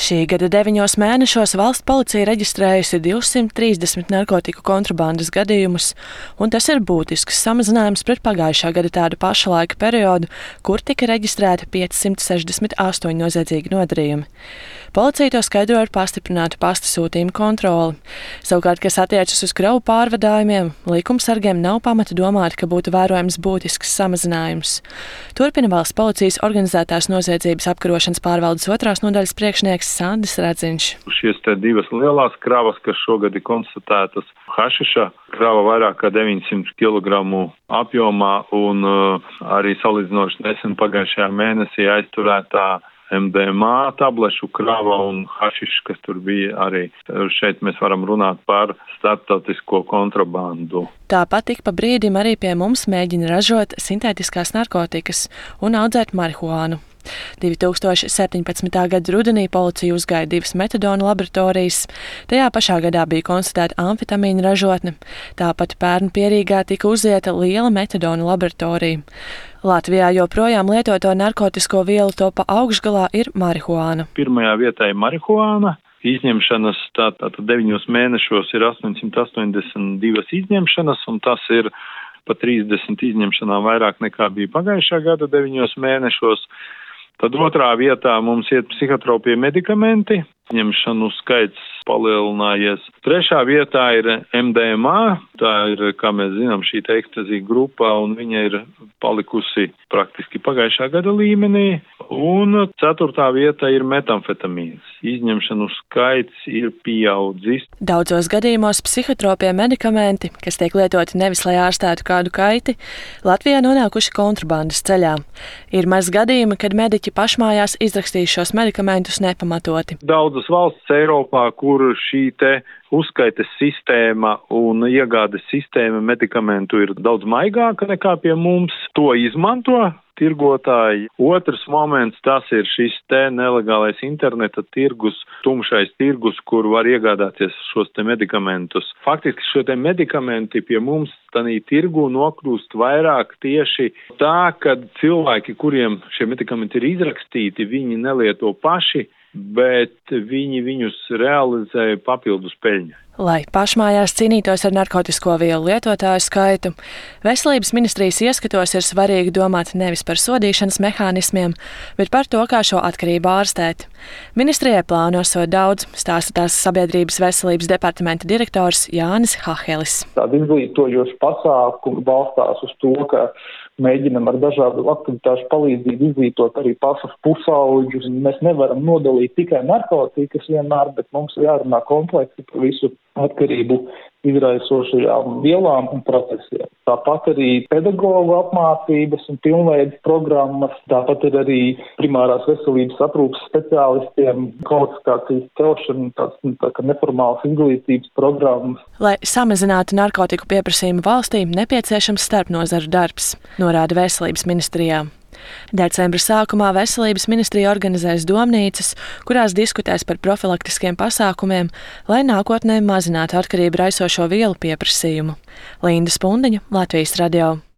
Šī gada 9 mēnešos valsts policija reģistrējusi 230 narkotiku kontrabandas gadījumus, un tas ir būtisks samazinājums pret pagājušā gada tādu paša laika periodu, kur tika reģistrēti 568 noziedzīgi nodarījumi. Policija to skaidro ar pastiprinātu pasta sūtījumu kontroli. Savukārt, kas attiecas uz kravu pārvadājumiem, likumsargiem nav pamata domāt, ka būtu vērojams būtisks samazinājums. Turpina valsts policijas organizētās noziedzības apkarošanas pārvaldes 2. nodaļas priekšnieks Sandis Radziņš. Šīs te divas lielās kravas, kas šogad ir konstatētas, hašiša krava vairāk kā 900 kg apjomā un arī salīdzinoši nesen pagājušajā mēnesī aizturētā MDMA tablešu krava un hašišs, kas tur bija arī. Šeit mēs varam runāt par starptautisko kontrabandu. Tāpat ik pa brīdim arī pie mums mēģina ražot sintētiskās narkotikas un audzēt marihuānu. 2017. gada rudenī policija uzgāja 2 metadona laboratorijas. Tajā pašā gadā bija konstatēta amfetamīna ražotne. Tāpat pērn Pierīgā tika uzieta liela metadona laboratorija. Latvijā joprojām lietoto narkotisko vielu topa augšgalā ir marihuāna. Pirmajā vietā ir marihuāna. Izņemšanas tātad 9 mēnešos ir 882 izņemšanas, un tas ir pa 30 izņemšanām vairāk nekā bija pagājušā gada 9 mēnešos. Tad otrā vietā mums ir psihotropie medikamenti, izņemšanu skaits palielinājies. Trešā vietā ir MDMA, tā ir, kā mēs zinām, šī ekstazija grupa, un viņa ir palikusi praktiski pagājušā gada līmenī. Un ceturtā vietā ir metamfetamīns. Izņemšanu skaits ir pieaudzis. Daudzos gadījumos psihotropie medikamenti, kas tiek lietoti nevis lai ārstētu kādu kaiti, Latvijā nonākuši kontrabandas ceļā. Ir maz gadījumi, kad mediķi pašmājās izrakstīs šos medikamentus nepamatoti. Daudzas valsts Eiropā, kur šī te uzskaites sistēma un iegādes sistēma medikamentu ir daudz maigāka nekā pie mums, to izmanto tirgotāji. Otrs moments, tas ir šis te nelegālais interneta tirgus, tumšais tirgus, kur var iegādāties šos te medikamentus. Faktiski šo te medikamenti pie mums tanī tirgu nokļūst vairāk tieši tā, kad cilvēki, kuriem šie medikamenti ir izrakstīti, viņi nelieto paši, bet viņi viņus realizē papildus peļņai. Lai pašmājās cīnītos ar narkotisko vielu lietotāju skaitu, Veselības ministrijas ieskatos ir svarīgi domāt nevis par sodīšanas mehānismiem, bet par to, kā šo atkarību ārstēt. Ministrijai plāno sot daudz, stāsta tās sabiedrības veselības departamenta direktors Jānis Hahelis. Tāda izglītojoša pasākuma balstās uz to, ka mēģinam ar dažādu aktivitāšu palīdzību izglītot arī pašus pusauģus. Mēs nevaram nodalīt tikai narkotikas vienmēr, bet mums jārunā kompleksi par visu atkarību izraisošajām vielām un procesiem. Tāpat arī pedagoģu apmācības un pilnveidas programmas, tāpat ir arī primārās veselības aprūpes speciālistiem kvalifikācijas celšana, tā kā neformālas izglītības programmas. Lai samazinātu narkotiku pieprasījumu valstī, nepieciešams starpnozaru darbs, norāda Veselības ministrijā. Decembra sākumā Veselības ministrija organizēs domnīcas, kurās diskutēs par profilaktiskiem pasākumiem, lai nākotnē mazinātu atkarību raisošo vielu pieprasījumu. Linda Spundiņa, Latvijas radio.